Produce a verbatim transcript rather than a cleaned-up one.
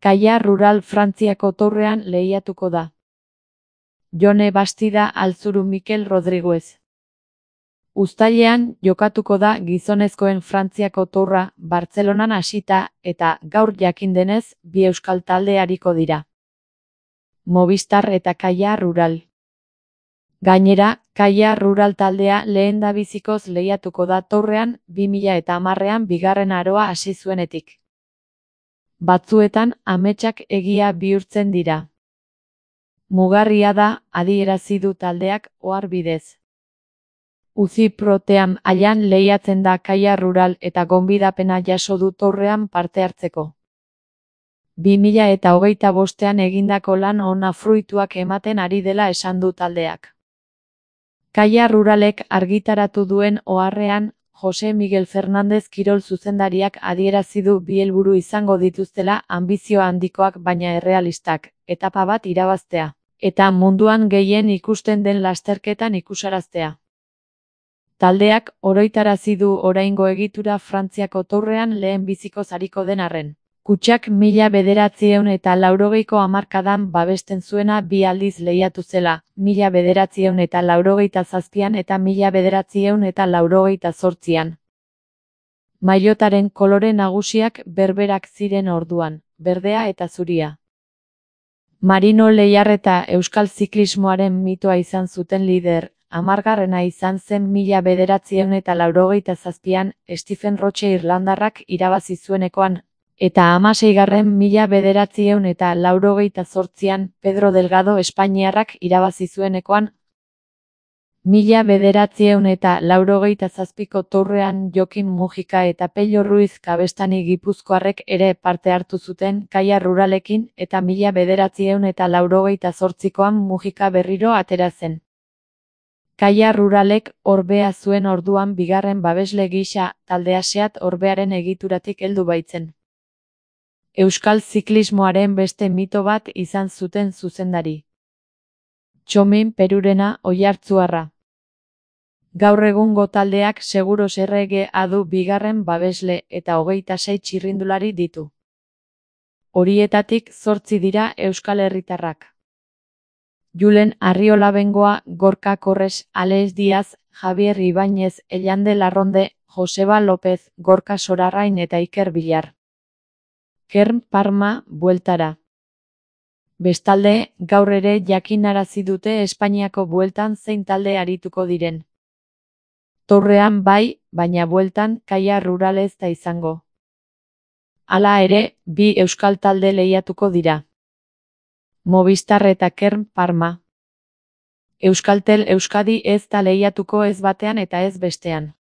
Kaia Rural Frantziako Torrean lehiatuko da. Jone Bastida Alzuru Mikel Rodriguez. Uztailean jokatuko da gizonezkoen Frantziako Tourra Bartzelonan hasita eta gaur jakin denez bi euskal talde ariko dira. Movistar eta Kaia Rural. Gainera, Kaia Rural taldea lehendabizikoz lehiatuko da Torrean bi mila hamarrean bigarren aroa hasi zuenetik. Batzuetan ametsak egia bihurtzen dira. Mugarria da, adierazi du taldeak ohar bidez. Uzi protean aian lehiatzen da Kaia Rural eta gonbidapena jaso du Torrean parte hartzeko. bi mila hogeita bostean egindako lan ona fruituak ematen ari dela esan du taldeak. Kaia Ruralek argitaratu duen oharrean, Jose Miguel Fernandez kirol zuzendariak adierazi du bi helburu izango dituztela anbizio handikoak baina errealistak, etapa bat irabaztea, eta munduan gehien ikusten den lasterketan ikusaraztea. Taldeak oroitarazi du oraingo egitura Frantziako Tourrean lehen bizikoz ariko den arren. Kutxak mila bederatziehun eta laurogeiko hamarkadan babesten zuena bi aldiz lehiatu zela, mila bederatziehun eta laurogeita zazpian eta mila bederatziehun eta laurogeita zortzian. Maillotaren kolore nagusiak berberak ziren orduan, berdea eta zuria. Marino Lehiarreta euskal ziklismoaren mitoa izan zuten lider, hamargarrena izan zen mila bederatziehun eta laurogeita zazpian, Stephen Roche irlandarrak irabazi zuenekoan, eta hamaseigarren mila bederatziehun eta laurogeita zortzian, Pedro Delgado espainiarrak irabazi zuenekoan, mila bederatziehun eta laurogeita zazpiko Tourrean Jokin Mujika eta Pello Ruiz Kabestani gipuzkoarrek ere parte hartu zuten Kaia Ruralekin eta mila bederatziehun eta laurogeita zortzikoan Mujika berriro atera zen. Kaia Ruralek orbea zuen orduan bigarren babesle gisa, taldea Seat orbearen egituratik heldu baitzen. Euskal ziklismoaren beste mito bat izan zuten zuzendari. Txomin Perurena oihartzuarra. Gaur egungo taldeak Seguros R G A du bigarren babesle eta hogeita sei txirrindulari ditu. Horietatik zortzi dira euskal herritarrak. Julen Arriola Bengoa, Gorka Korres, Alex Diaz, Javier Ibáñez, Ellande Larronde, Joseba López, Gorka Sorarrain eta Iker Villar. Kern Parma, bueltara. Bestalde, gaur ere jakinarazi dute Espainiako bueltan zein talde arituko diren. Torrean bai, baina bueltan Kaia Rural ez da izango. Hala ere, bi euskal talde lehiatuko dira. Movistar eta Kern Parma. Euskaltel Euskadi ez da lehiatuko ez batean eta ez bestean.